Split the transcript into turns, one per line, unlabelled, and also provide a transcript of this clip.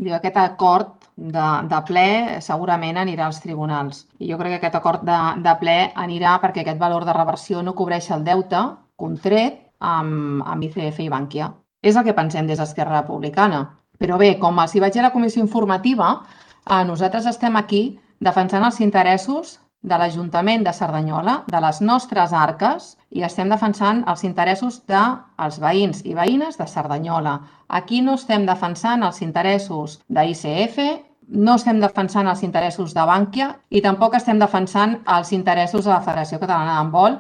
Diu, aquest acord de ple segurament anirà als tribunals. I jo crec que aquest acord de ple anirà perquè aquest valor de reversió no cobreix el deute contret amb ICF i Bankia. És el que pensem des d'Esquerra Republicana. Però bé, com els hi vaig dir a la comissió informativa, nosaltres estem aquí defensant els interessos de l'Ajuntament de Cerdanyola, de les nostres arques, i estem defensant els interessos dels veïns i veïnes de Cerdanyola. Aquí no estem defensant els interessos d'ICF, no estem defensant els interessos de Bankia i tampoc estem defensant els interessos de la Federació Catalana d'Handbol,